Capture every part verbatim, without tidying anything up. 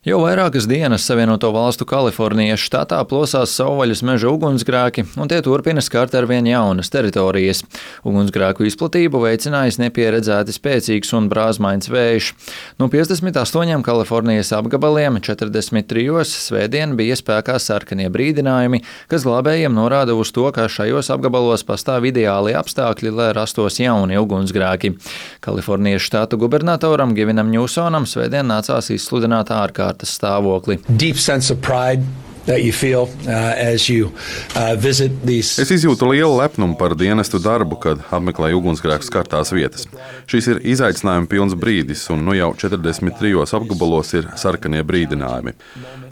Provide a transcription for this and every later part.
Jau vairākas dienas Savienoto Valstu Kalifornijas štatā plosās savvaļas meža ugunsgrēki, un tie turpina skart arvien jaunas teritorijas. Ugunsgrēku izplatību veicinājis nepieredzēti spēcīgs un brāzmains vējš. No piecdesmit astoņiem Kalifornijas apgabaliem četrdesmit trijos svētdien bija spēkā sarkanie brīdinājumi, kas glābējiem norāda uz to, ka šajos apgabalos pastāv ideāli apstākļi, lai rastos jauni ugunsgrēki. Kalifornijas štata gubernatoram Gevinam Ņūsonam svētdien nācās izsludināt ārkārtas stāvokli. Feel, uh, you, uh, these... Es izjūtu lielu lepnumu par dienestu darbu, kad apmeklēju ugunsgrēku skartās vietas. Šis ir izaicinājuma pilns brīdis, un nu jau četrdesmit trijos apgabalos ir sarkanie brīdinājumi.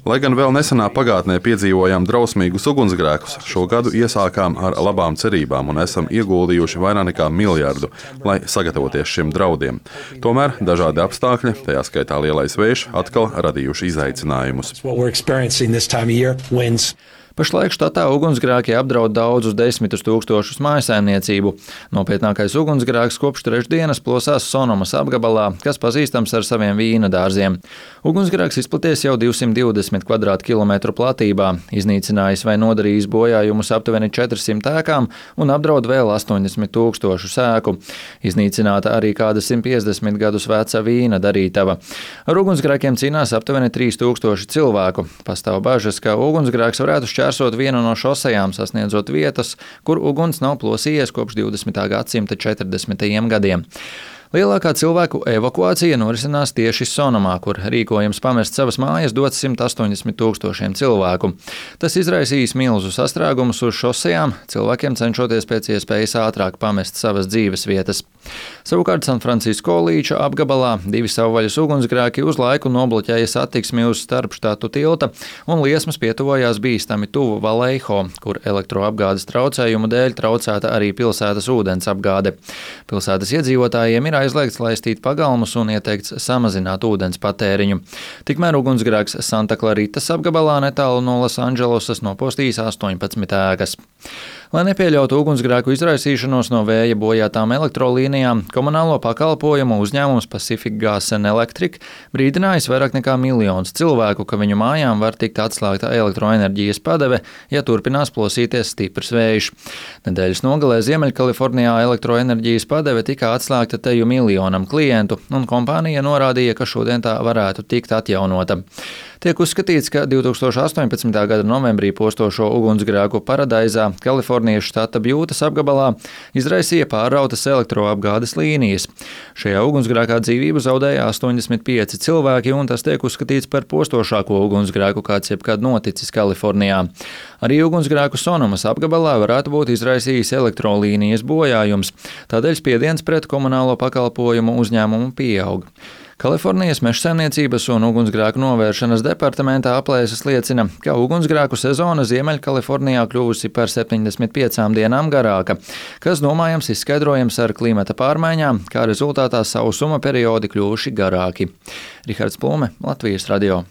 Lai gan vēl nesenā pagātnē piedzīvojām drausmīgus ugunsgrēkus, šo gadu iesākām ar labām cerībām un esam ieguldījuši vairāk nekā miljardu, lai sagatavoties šiem draudiem. Tomēr dažādi apstākļi, tajā skaitā lielais vējš, atkal radījuši izaicinājumus. Wins. Pašlaik štatā ugunsgrēki apdraud daudzus desmitus tūkstošus mājsaimniecību. Nopietnākais ugunsgrēks kopš trešdienas plosās Sonomas apgabalā, kas pazīstams ar saviem vīna dārziem. Ugunsgrēks izplaties jau divsimt divdesmit kvadrātkilometru platībā, iznīcinājis vai nodarījis bojājumus aptuveni četrsimt ēkām un apdraud vēl astoņdesmit tūkstošu ēku. Iznīcināta arī kāda simt piecdesmit gadus veca vīna darītava. Ar ugunsgrēkiem cīnās aptuveni trīs tūkstoši cilvēku. Pastāv bažas, ka ugunsgrēks varētu šķērsot Šķērsot vienu no šosejām, sasniedzot vietas, kur uguns nav plosījies kopš divdesmitā gadsimta četrdesmitajiem gadiem. Lielākā cilvēku evakuācija norisinās tieši Sonomā, kur rīkojums pamest savas mājas dots simt astoņdesmit tūkstošiem cilvēku. Tas izraisījis milzu sastrēgumus uz šosejām, cilvēkiem cenšoties pēc iespējas ātrāk pamest savas dzīves vietas. Savukārt Sanfrancisko līča apgabalā divi savvaļas ugunsgrēki uz laiku nobloķēja satiksmi uz starpštatu tilta, un liesmas pietuvojās bīstami tuvu Vallejo, kur elektroapgādes traucējumu dēļ traucēta arī pilsētas ūdens apgāde. Pilsētas iedzīvotājiem ir aizliegts laistīt pagalmus un ieteikts samazināt ūdens patēriņu. Tikmēr ugunsgrēks Santa Claritas apgabalā netālu no Losandželosas nopostījis astoņpadsmit ēkas. Lai nepieļautu ugunsgrēku izraisīšanos no vēja bojātām elektrolīnijām, komunālo pakalpojumu uzņēmums Pacific Gas and Electric brīdinājis vairāk nekā miljonus cilvēku, ka viņu mājām var tikt atslēgta elektroenerģijas padeve, ja turpinās plosīties stiprs vējš. Nedēļas nogalē Ziemeļkalifornijā elektroenerģijas padeve tika atslēgta teju miljonam klientu, un kompānija norādīja, ka šodien tā varētu tikt atjaunota. Tiek uzskatīts, ka divtūkstoš astoņpadsmitā gada novembrī postošo ugunsgrēku Paradaizā, Kalifornijas štata Bjūtas apgabalā, izraisīja pārrautas elektroapgādes līnijas. Šajā ugunsgrēkā dzīvību zaudēja astoņdesmit pieci cilvēki, un tas tiek uzskatīts par postošāko ugunsgrēku, kāds jebkad noticis Kalifornijā. Arī ugunsgrēku Sonomas apgabalā varētu būt izraisījis elektrolīnijas bojājums, tādēļ spiediens pret komunālo pakalpojumu uzņēmumu pieaug. Kalifornijas mežsaimniecības un ugunsgrēku novēršanas departamentā aplēses liecina, ka ugunsgrēku sezona Ziemeļkalifornijā kļuvusi par septiņdesmit piecām dienām garāka, kas domājams izskaidrojams ar klimata pārmaiņām, kā rezultātā sausuma periodi kļuvuši garāki. Rihards Plume, Latvijas radio.